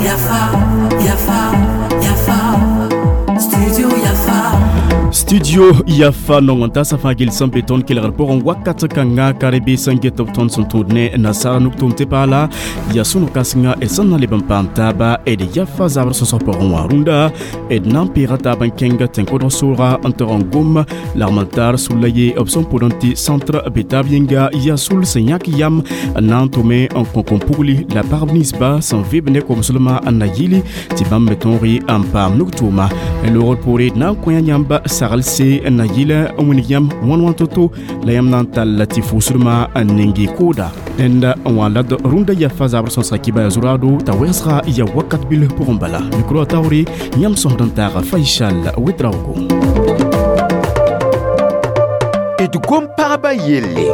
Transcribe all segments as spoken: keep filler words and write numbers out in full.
Yafa, Yafa, Yafa, Studio Yafa. Studio Yafa nong n tasa fãa gil sẽn be tõnd kelgr pʋgẽ wakat kãnga ka rebe sẽn get b tõnd sẽn tũud ne nasaara nug-tʋʋm tɩ paala yaa sũ-no-kãsenga d sẽn na leb n paam taaba d yafa zabr sõsg pʋgẽ wã rũndã d na n peega taab n kẽng tẽn-kodg soolga n tog n gom lagm n taar sulla ye b sẽn pʋd n tɩ centre be taab yĩnga yaa sul sẽn yãk yam n na n tʋme n kõ kom-pugli la pagb ninsba sẽn vɩb ne komslmã n na yɩli tɩ bãmb me tõog n paam nug-tʋʋma loogr poore d na n kõ yãmb sagl se n na yɩl n wilg yãmb wãn wãn to-to la yãmb na n tall tɩ fʋʋsdmã n ning y kooda rẽnda n wã la d rũndã yafa zabr sõsga kibaya zuraado t'a wɛsga ya wakat bil pʋgẽ bala mikro a taoore yãmb sõsd n taaga Faisal Ouedraogo. D gom-pagba yelle.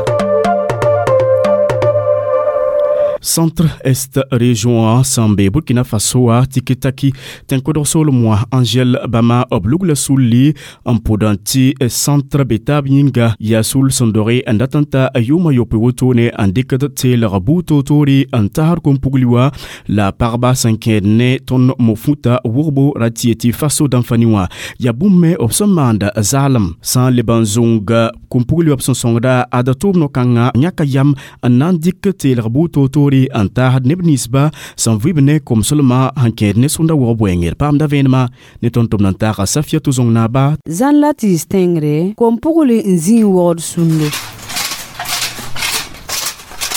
Centre Est région sẽn be Burkina Faso a Tikitaki tẽn-kodg soolem wã Angel Bama b lugla sulli n pʋd n tɩ centre be taab yĩnga yaa sul sẽn doge n dat n ta yʋʋmã yopoe wotone n dɩkd teelg buud toor-toore n tasd kom-pugli wã la pagba sẽn kẽed ne tõnd mo-futa wʋgbo ra tɩ yetɩ Faso dãmfani wã yaa bũmb me b sẽn maand zaalem sã n leb n zũng kom-pugli wã b sẽn sõngda ad tʋʋm no-kãngã yãka yam n na n dɩk teelg buud toor-toore n taasd neb ninsba sẽn vɩb ne komslmã sẽn kẽed ne sũnda wʋg bʋɛngr paamda vẽenemã ne tõnd tʋmd n taaga Safiatou Zong naaba. Zãn la tɩɩs tẽngre kom-pugli n zĩig wogd sũndo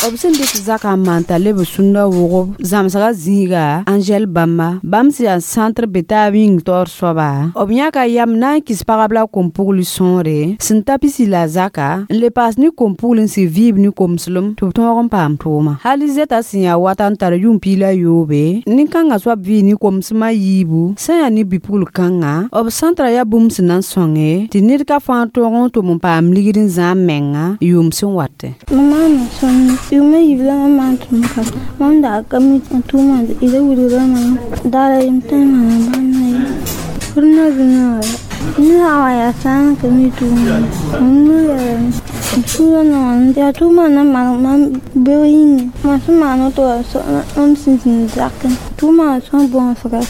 b sẽn dɩk zakã n maan t'a leb sũndã wʋgb zãmsgã zĩiga Angel Bamba bãmb sẽn yaa centre be taab yĩng taoor soaba b yãka yam na n kɩs pagb la kom-pugl sõore sẽn ta pisi la zaka n le paas ne kom-pugl n sɩ vɩɩb ne komslem tɩ b tõog n paam tʋʋma hal zɛta sẽn yaa wata n tar yʋʋm piig la yoobe nin-kãngã soab vɩɩ ne komsmã yiibu sẽn yaa ne bi-pugl kãnga b centra yaa bũmb sẽn na n sõnge tɩ ned ka fãa tõog n tʋm n paam ligd n zãam menga yʋʋm sẽn watẽ. Yʋʋmã yiib la mam maan tʋʋm ka mam dag ka mi n tʋʋmã d wilgra mam daara yem tẽ maana bãmb ye rũnã zĩnã wala ned sã n wa yaa sã n ka mi tʋʋmã mam nu yɛlame m sũurã nongame yaa tʋʋmã na n maneg mam beoog yĩnga mam sẽn maan woto wa mam sẽn zĩnd zakẽ tʋʋmã sõs bõosga.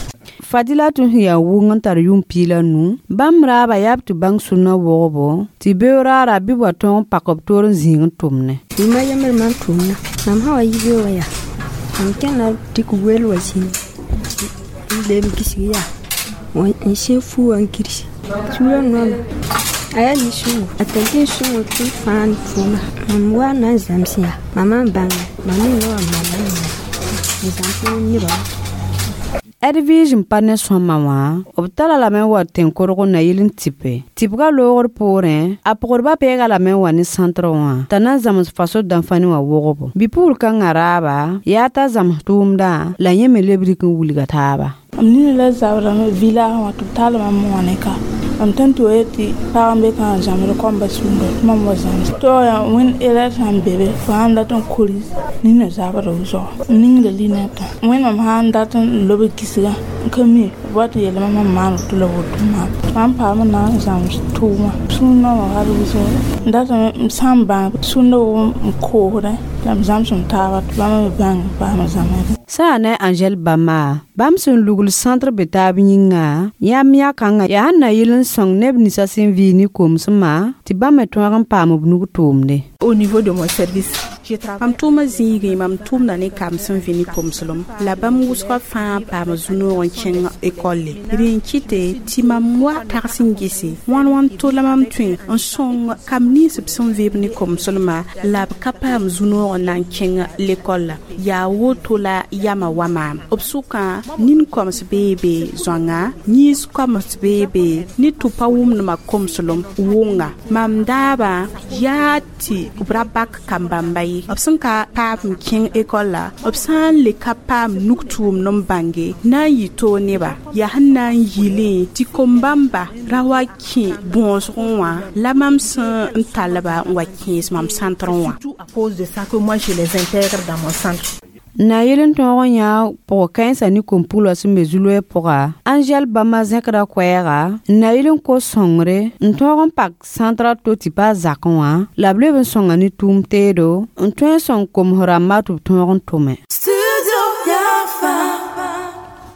Fadila tũ sẽn yaa wʋng n tar yʋʋm piig la nu bãmb raaba yaa b tɩ bãng sũnã wogbo tɩ beoog raara bɩ b wa tõog n pak b toor n zĩig n tʋmne. Yʋʋmã yembr mam tʋʋmna mam sã wa yi beoog wã yaa mam kẽna dɩk wel wa zĩni n leb n gisg yaa n sẽn fu wã n girsi sũurã noama a yaa nin-sõngo a tar nin-sõngo tɩ m fãa n tʋʋma mam wa na n zãms yaa mam n bãnga mam menga wa maana n zãms nebã. Edwige n pa ne sõma wã b tara lame n wa tẽn-korg n na yɩl n tɩpe tɩpga loogr poorẽ a pʋgdbã peega lame n wa ne centre wã t'a na n zãms faso dãmfani wã wogbo bi-pugl kãngã raaba yaa t'a zãms tʋʋmdã la yẽ me leb rɩk n wilga taaba. M nina la zabrame village wã tɩ b tall mam wã ne ka mam tõe n tɩ wa yetɩ pag n be kã n zãmsd kõmba sũnda tɩ mam wa zãms tɩ yaa wẽnd erɛr sãn be be fo sãn dat n koris nina zabra wʋsgo n ningda linɛtã wẽnnaam sãn dat n lob kisgã n ka mi b wa tɩ yeelame mam maan woto la woto maam mam paam n na n zãms tʋʋma sũur nooma hal wʋsgo n datame m sã n bãng sũndã wʋg n koosdẽ la m zãms m taaba tɩ bãmb me bãng paam zãmsdẽ. Sẽn yaa ne Angel Bama bãmb sẽn lugl centre be taab yĩnga yãmb yã-kãngã yaa sẽn na yɩl n sõng neb ninsã sẽn vɩɩ ne komsmã tɩ bãmb me tõog n paam b nug tʋʋmde. Au niveau de mon service, mam tʋʋmã zĩigẽ mam tʋʋmda ne kamb sẽn vɩ ne komslem la bãmb wʋsgã fãa paam zu-noog n kẽng ekɔlle rẽ n kɩte tɩ mam wa tags n gese wãn wãn to la mam tõe n sõng kamb nins b sẽn vɩɩb ne komslmã la b ka paam zu-noog n na n kẽng lekɔlla yaa woto la yama wa maam b sʋkã nin-koms bee be zoãnga yĩns koms bee be ne tɩ pa wʋmdmã komslem wʋnga mam daabã yaa tɩ b ra bak kam-bãmba ye b sẽn ka paam n kẽng ekɔlla b sã n le ka paam nug-tʋʋmd n bãnge na n yɩ toog neba yaa sẽn na n yɩlẽ tɩ kom-bãmba ra wa kẽ bõosgẽ wã la mam sẽn n tallba n wa kẽes mam centre wã. À cause de ça que moi je les intègre dans mon centre. Na yel n tõog n yã pʋg-kãensã ne kom-pugla sẽn be zu-loɛɛ pʋga Angɛl bãmba zẽkda koɛɛga n na yel n kos sõngre n tõog n pak sãntra to tɩ pa zakẽ wã la b leb n sõnga ne tʋʋm teedo n tõe n sõng koms rãmba tɩ b tõog n tʋme.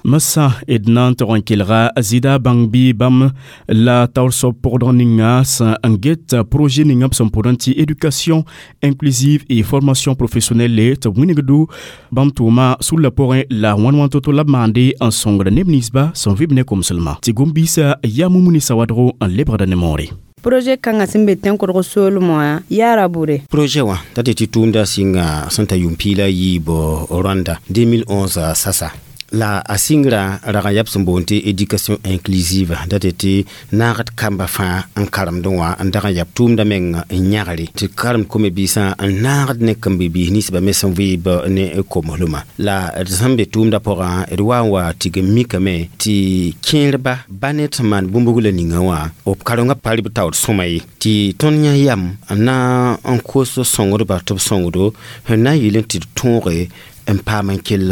Masa d na n tog n kelga zɩɩda bãng bɩ bãmb la taoor soab pʋgdg ninga sẽn n get projet ninga b sẽn pʋdẽ tɩ éducation inclusive et formation professionnelle tɩ b wĩnigdu bãmb tʋʋma sulla pʋgẽ la wãn wãn to-to la b maande n sõngd neb ninsba sẽn vɩb ne komslmã tɩ gom-biisã yaa mumuni sawadgo n lebgda ne moore. Projet kãngã sẽn be tẽn-kʋdg soolem wã yaara bʋre. Projet wã t'a tɩ tɩ tʋʋmda sɩnga sẽn ta yʋʋm piig la yiib Rwanda deux mille onze sasa la a sɩngrã rag n yab sẽn boond tɩ éducation inclusive dat tɩ naagd kamba fãa n karemdẽ wã n dag n yab tʋʋmda meng n yãgre tɩ karemd kome-biisã n naagd ne kambɩ-biis ninsbã me sẽn vɩɩb ne komeslmã la d sẽn be tʋʋmda pʋgã d wa n wa tigm mikame tɩ kẽerba ba ned sẽn maan bũmb la ninga wã b karengã pa rɩ b taoor sõma ye tɩ tõnd yã yam n na n kos sõngdba tɩ b sõngdo sẽn na n yɩl n tɩ d tõoge n paam n kell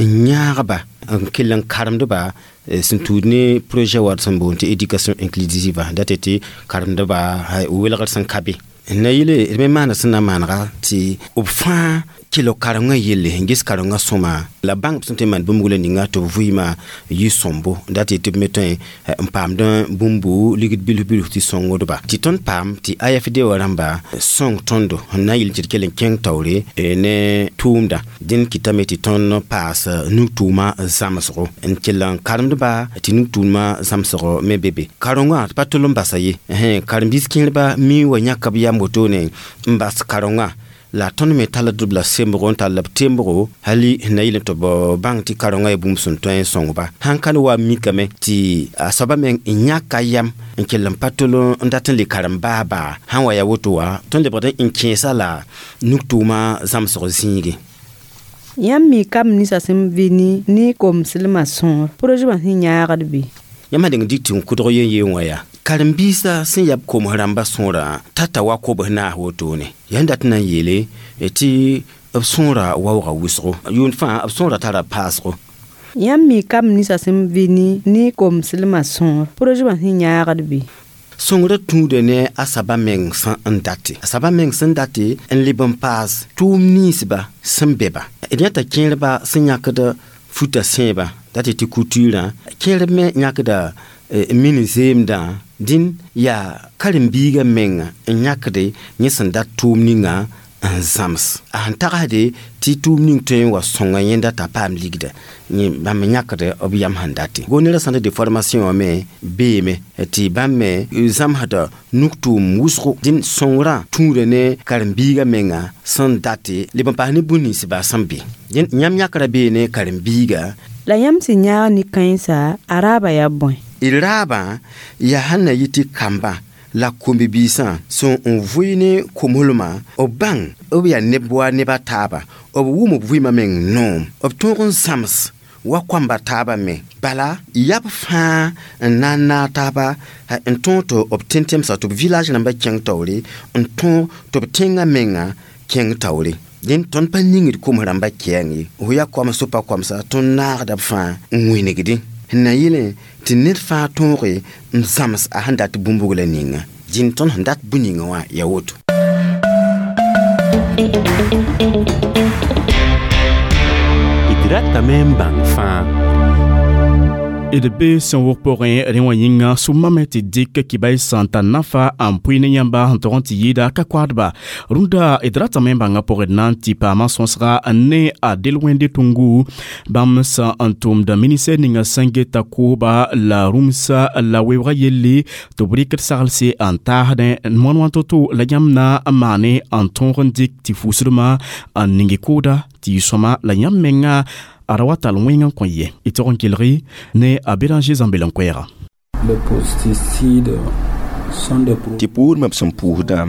n yãagba n kell n karemdba sẽn tuud ne projet wa sẽn boond tɩ éducation inclusive dat tɩ karemdba welgr sẽn ka be n na yele d me maana sẽn na maanega tɩ b fãa kell karengã yelle n ges karengã sõma la bãng b sẽn tõe n maan bũmb la ninga tɩ b vɩɩmã yɩ sõmbo dat tɩ b me tõe n paamd bũmbu ligd bilf bilf tɩ sõngdba tɩ tõnd paam tɩ A F D wã rãmba sõng tõndo n na n yɩl tɩ d kell n kẽng taoore ne tʋʋmda dẽnd kɩtame tɩ tõnd paas nug-tʋʋmã zãmsgo n kell n karemdba tɩ nug-tʋʋmã zãmsg me be be karengã tɩ pa tol n basa ye karen-biis kẽerba mi wa yãka b yam wotone n bas karengã la tõnd me tall d la sembgo n tall b tembgo hali na yɩl tɩ b bãng tɩ karengã yaa bũmb sẽn tõe n sõngba sãn ka wa mikame tɩ a soaba meng n yãka yam n kell n pa tol n dat n le karem baabaa sãn wa ya woto wã tõnd lebgd n kẽesa la nug-tʋʋmã zãmsg zĩige. Yãmb mi kam ninsã sẽn vɩ ne ne komslmã sõor projet wã sẽn yãagd bɩ? Yãmb sã deng dɩk tɩ n kʋdg yen yeen wã yaa karen-biisã sẽn yab koms rãmbã sõora tata wa kobs naas wotone yaa dat n na n yeele tɩ b sõora waooga wʋsgo yʋʋnd fãa b sõora tara paasgo. Yãmb mi kam ninsã sẽn vɩ ne ne komslmã sõor projet wã sẽn yãagd bɩ? Sõngrã tũuda ne a saba meng sẽn n date a saba meng sẽn date n leb n paas tʋʋm ninsba sẽn be-ba d yãta kẽerba sẽn yãkd futa sẽebã dat tɩ couture kẽerb me yãkda min zeemdã dĩn yaa karen-biigã menga n yãkde yẽ sẽn dat tʋʋm ninga n zãms a sẽn tagsde tɩ tʋʋm ning tõe n wa sõnga yẽnda t'a paam ligda bãmb yãkd b yam sẽn date Goniera centre de formation wã me beeme tɩ bãmb me zãmsda nug-tʋʋm wʋsgo dẽn sõngrã tũuda ne karen-biigã menga sẽn date leb n paas ne bũn-ninsba sẽn be dẽn yãmb yãkra bee ne karen-biiga. La yãmb sẽn yãag ne-kãensã a raaba yaa bõe? D raabã yaa sẽn na yɩ tɩ kamba la kombi-biisã sẽn n vʋɩ ne komslmã b bãng b yaa neb wa neb a taaba b wʋm b vɩɩmã meng noom b tõog n zãms wa koamba taabã me bala yab fãa n na n naag taaba n tõog tɩ b tẽn-tẽmsa tɩ b village rãmbã kẽng taoore n tõog tɩ b tẽngã menga kẽng taoore dẽn tõnd pa ningd koms rãmbã kɛɛng ye fo yaa koams pa koamsa tõnd naagda b fãa n wĩnigdẽ sẽn na yɩlẽ tɩ ned fãa tõoge n zãms a sẽn dat bũmb la ninga dĩn tõnd sẽn dat bũ-ninga wã yaa woto. D ratame n bãng fãa. D be sẽn wʋg pʋgẽ rẽ wã yĩnga sʋmame tɩ dɩk kibay sãn tar nafa n pʋɩ ne yãmba sẽn tog n tɩ yɩɩda ka koadba rũndã d ratame n bãnga pʋgẽ d na n tɩ paama sõsga ne a del wẽnde tʋngu bãmb sã n tʋmda ministɛr ninga sẽn geta kooba la rũmsa la weoogã yelle tɩ b rɩkd saglse n taasdẽ moan wã to-to la yãmb na n maane n tõog n dɩk tɩ fusdmã n ning kooda tɩ yɩ sõma la yãmb menga a ra wa tall wẽng n kõ ye y tog n kelgi ne a Béranger Zãmbel n koɛɛga. Tɩ puudmã b sẽn puusdã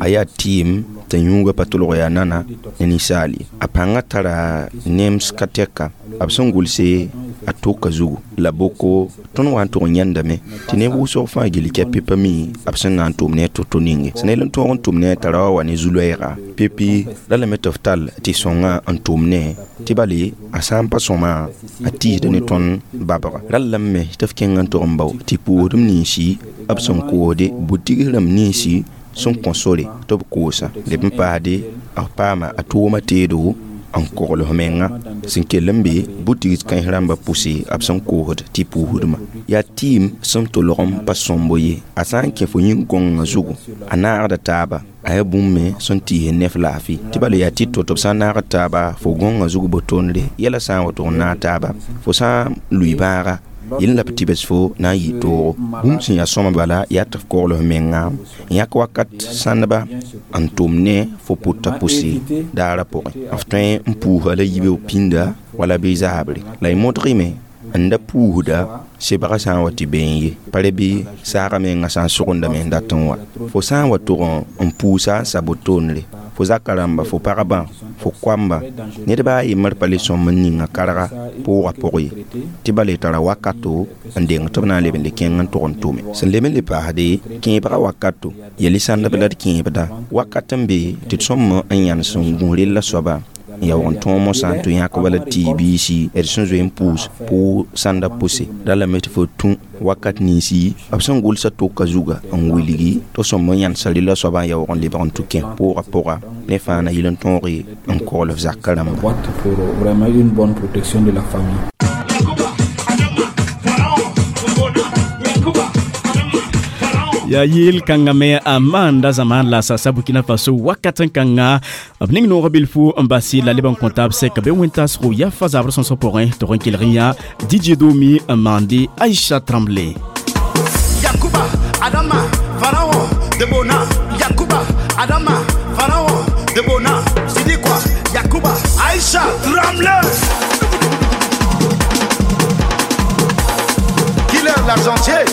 a yaa tɩɩm t'a yũuga pa tolg yaa nana ne ninsaal ye a pãngã tara nems ka tɛka b sẽn gʋlse. a toka zugu la boko tõnd wa n tʋg n yãndame tɩ neb wʋsg fãa gilli kɛpɩ pa mi b sẽn na n tʋm ne a to-to ninge sẽn yel n tõog n tʋm ne a tara wa wa ne zu-loɛɛga pepi la lame tɩ f tall tɩ sõnga n tʋm ne tɩ bale a sã n pa sõma a tiisda ne tõnd babga rall lame me tɩ f kẽng n tʋg n bao tɩ pʋʋsdem ninsi b sẽn koosde bu-tigs rãmb ninsi sẽn kõ sore tɩ b koosa leb n paasde b paama a tʋʋma teedo n kogl f menga sẽn kell n be bu-tigs kãens rãmbã pʋse b sẽn koosd tɩ pʋʋsdmã yaa tɩɩm sẽn tolg n pa sõmbo ye a sã n kẽ fo yĩn-gõngã zugu a naagda taaba a yaa bũmb me sẽn tɩɩs nef laafɩ tɩ bala yaa tɩ to tɩ b sã n naagd taaba fo gõngã zug bo-tondre yɛla sã n wa tʋg n naag taaba fo sã n lʋɩ bãaga yel la b tɩbs fo na n yɩ toogo bũmb sẽn yaa sõma bala yaa tɩ f kogl f menga n yãk wakat sãndba n tʋm ne fo pʋta pʋse daarã pʋgẽ f tõe n puusa la yibeoog pĩnda wala bɩ zaabre la y modgme n da puusda sebga sã n wa tɩ been ye pa re bɩ saaga menga sã n sʋgendame n dat n wa fo sã n wa tʋg n puusa n sa bo-tondre fo zaka rãmba fo pagba fo koamba ned baa a yembr pa le sõm n ninga karga pʋʋga pʋg ye tɩ bala y tara wakato n deng tɩ b na n leb n le kẽng n tʋg n tʋme sẽn leb n le paasde kẽebga wakato yel-y sãndb la d kẽebda wakat n be tɩ d sõm n yãnes n gũs rella soaba n yaoog n tõog mosã tɩ yãk wala tɩ biisi d sẽn zoe n pʋʋs pʋʋg sãnda pʋse ra lame tɩ fo tũ wakat ninsi b sẽn gʋlsa toka zuga n wilgi tɩ sõm n yãnesa rella soaba n yaoog n lebg n tʋ kẽ pʋʋga pʋga ne fãa na yɩl n tõoge n kogl f zakã rãmba. Boîte pour vraiment une bonne protection de la famille. Ya yel kãngã me a maanda zamaan la sasa Burkina Faso wakat n kãnga b ning noog bilfu n bas la leb n kõ taab sɛka be wẽn-taasgo yafa zabr sõsg pʋgẽ tɩ n kelg n yã D J Domi n maande Aïcha Tremblay. Yakuba, Adama, Pharaon, Debona. Yakuba, Adama, Pharaon, Debona. Tu dis quoi? Yakuba, Aïcha Tremblay. Killer l'argentier.